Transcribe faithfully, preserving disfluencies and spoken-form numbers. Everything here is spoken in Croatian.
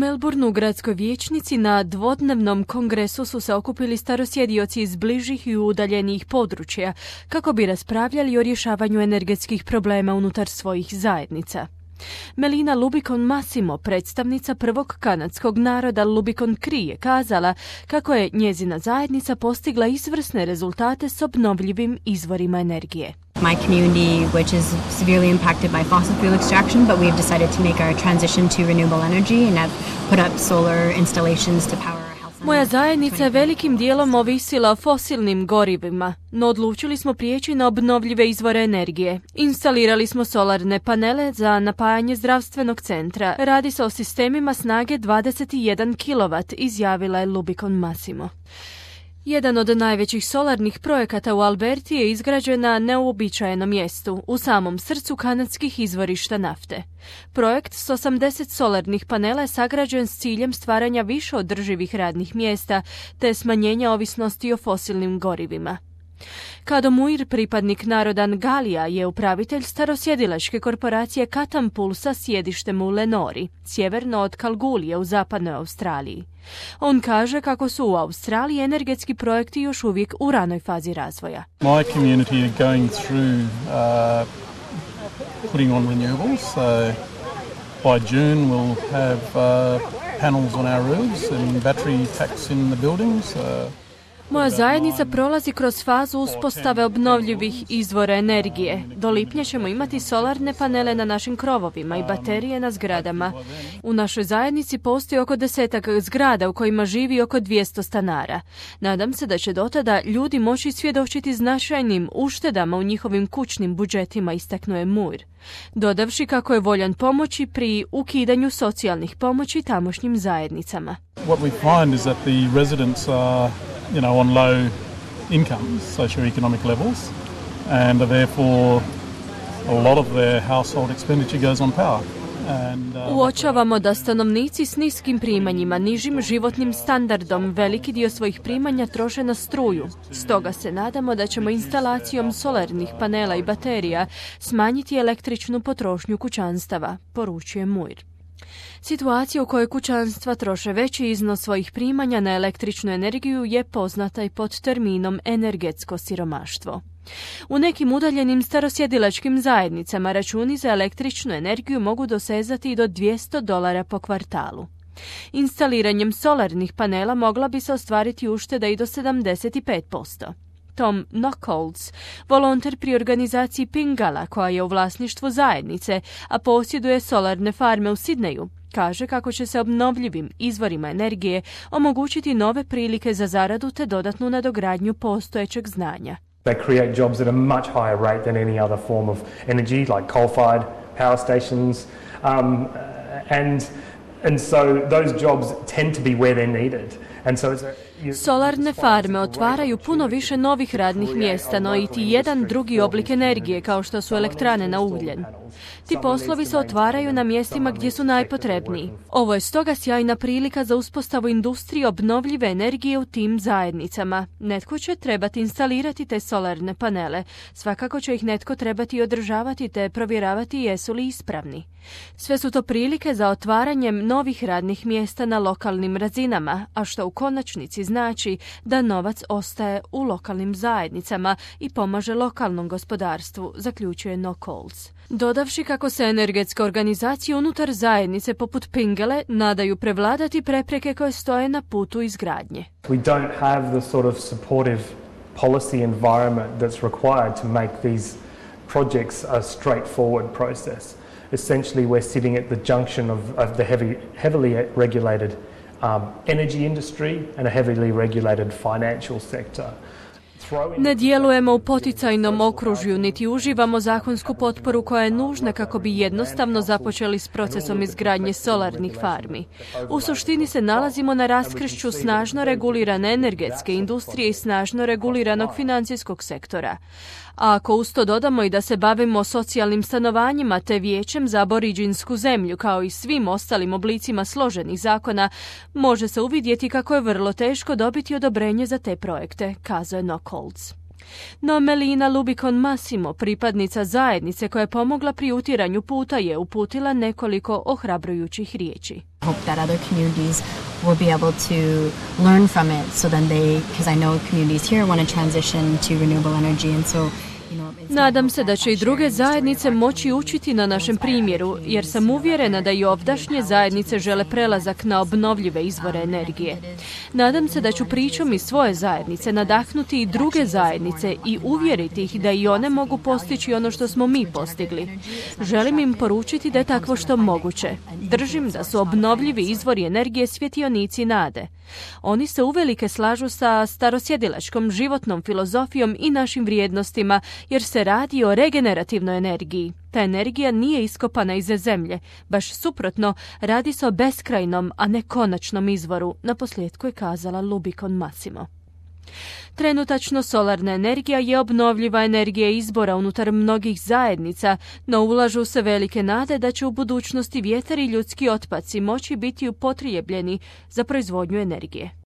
Melbourneu u gradskoj vijećnici na dvodnevnom kongresu su se okupili starosjedioci iz bližih i udaljenijih područja kako bi raspravljali o rješavanju energetskih problema unutar svojih zajednica. Melina Lubicon Massimo, predstavnica prvog kanadskog naroda Lubicon Cree, je kazala kako je njezina zajednica postigla izvrsne rezultate s obnovljivim izvorima energije. My community, which is severely impacted by fossil fuel extraction, but we've decided to make our transition to renewable energy and have put up solar installations to power our health. Moja zajednica je velikim dijelom ovisila o fosilnim gorivima, no odlučili smo prijeći na obnovljive izvore energije. Instalirali smo solarne panele za napajanje zdravstvenog centra. Radi se o sistemima snage dvadeset jedan kilovat, izjavila je Lubicon Massimo. Jedan od najvećih solarnih projekata u Alberti je izgrađen na neuobičajenom mjestu, u samom srcu kanadskih izvorišta nafte. Projekt s osamdeset solarnih panela je sagrađen s ciljem stvaranja više održivih radnih mjesta te smanjenja ovisnosti o fosilnim gorivima. Kado Muir, pripadnik naroda Ngalija, je upravitelj starosjedilačke korporacije Katampul sa sjedištem u Lenori, sjeverno od Kalgoorlie u zapadnoj Australiji. On kaže kako su u Australiji energetski projekti još uvijek u ranoj fazi razvoja. My community are going through uh, putting on renewables. So by June we'll have uh, panels on our roofs and battery packs in the buildings. Uh, Moja zajednica prolazi kroz fazu uspostave obnovljivih izvora energije. Do lipnja ćemo imati solarne panele na našim krovovima i baterije na zgradama. U našoj zajednici postoji oko desetak zgrada u kojima živi oko dvjesto stanara. Nadam se da će do tada ljudi moći svjedočiti značajnim uštedama u njihovim kućnim budžetima, istaknuo je Muir, dodavši kako je voljan pomoći pri ukidanju socijalnih pomoći tamošnjim zajednicama. What we find is that the residents are you know, on low incomes, socio-economic levels, and therefore a lot of their household expenditure goes on power. And, uh, Uočavamo da stanovnici s niskim primanjima, nižim životnim standardom, veliki dio svojih primanja troše na struju. Stoga se nadamo da ćemo instalacijom solarnih panela i baterija smanjiti električnu potrošnju kućanstava, poručuje Muir. Situacija u kojoj kućanstva troše veći iznos svojih primanja na električnu energiju je poznata i pod terminom energetsko siromaštvo. U nekim udaljenim starosjedilačkim zajednicama računi za električnu energiju mogu dosezati i do dvjesto dolara po kvartalu. Instaliranjem solarnih panela mogla bi se ostvariti ušteda i do sedamdeset pet posto. Tom Knockolds, volonter pri organizaciji Pingala, koja je u vlasništvu zajednice, a posjeduje solarne farme u Sidneju, kaže kako će se obnovljivim izvorima energije omogućiti nove prilike za zaradu te dodatnu nadogradnju postojećeg znanja. They create jobs at a much higher rate than any other form of energy, like coal-fired power stations, um, and and so those jobs tend to be where they're needed. And so it's a, you, Solarne farme otvaraju puno više novih radnih mjesta, no i ti jedan drugi oblik energije, kao što su elektrane na ugljen. Ti poslovi se otvaraju na mjestima gdje su najpotrebniji. Ovo je stoga sjajna prilika za uspostavu industrije obnovljive energije u tim zajednicama. Netko će trebati instalirati te solarne panele. Svakako će ih netko trebati održavati te provjeravati jesu li ispravni. Sve su to prilike za otvaranjem novih radnih mjesta na lokalnim razinama, a što u konačnici znači da novac ostaje u lokalnim zajednicama i pomaže lokalnom gospodarstvu, zaključuje Knockolds. Dodavši kako se energetske organizacije unutar zajednice poput Pingale nadaju prevladati prepreke koje stoje na putu izgradnje. We don't have the sort of supportive policy environment that's required to make these projects a straightforward process. Essentially, we're sitting at the junction of, of the heavy, heavily regulated um, energy industry and a heavily regulated financial sector. Ne djelujemo u poticajnom okružju, niti uživamo zakonsku potporu koja je nužna kako bi jednostavno započeli s procesom izgradnje solarnih farmi. U suštini se nalazimo na raskršću snažno regulirane energetske industrije i snažno reguliranog financijskog sektora. A ako uz to dodamo i da se bavimo socijalnim stanovanjima te vijećem za aboriđinsku zemlju kao i svim ostalim oblicima složenih zakona, može se uvidjeti kako je vrlo teško dobiti odobrenje za te projekte, kazao je Knockolds. No Melina Lubicon Massimo, pripadnica zajednice koja je pomogla pri utiranju puta, je uputila nekoliko ohrabrujućih riječi. Hope that other communities will be able to learn from it, so then they, because I know communities here want to transition to renewable energy, and so nadam se da će i druge zajednice moći učiti na našem primjeru, jer sam uvjerena da i ovdašnje zajednice žele prelazak na obnovljive izvore energije. Nadam se da ću pričom iz svoje zajednice nadahnuti i druge zajednice i uvjeriti ih da i one mogu postići ono što smo mi postigli. Želim im poručiti da je takvo što moguće. Držim da su obnovljivi izvori energije svjetionici nade. Oni se uvelike slažu sa starosjedilačkom životnom filozofijom i našim vrijednostima, jer se radi o regenerativnoj energiji. Ta energija nije iskopana iz zemlje, baš suprotno, radi se o beskrajnom, a ne konačnom izvoru, naposljetku je kazala Lubicon Massimo. Trenutačno solarna energija je obnovljiva energija izbora unutar mnogih zajednica, no ulažu se velike nade da će u budućnosti vjetar i ljudski otpaci moći biti upotrijebljeni za proizvodnju energije.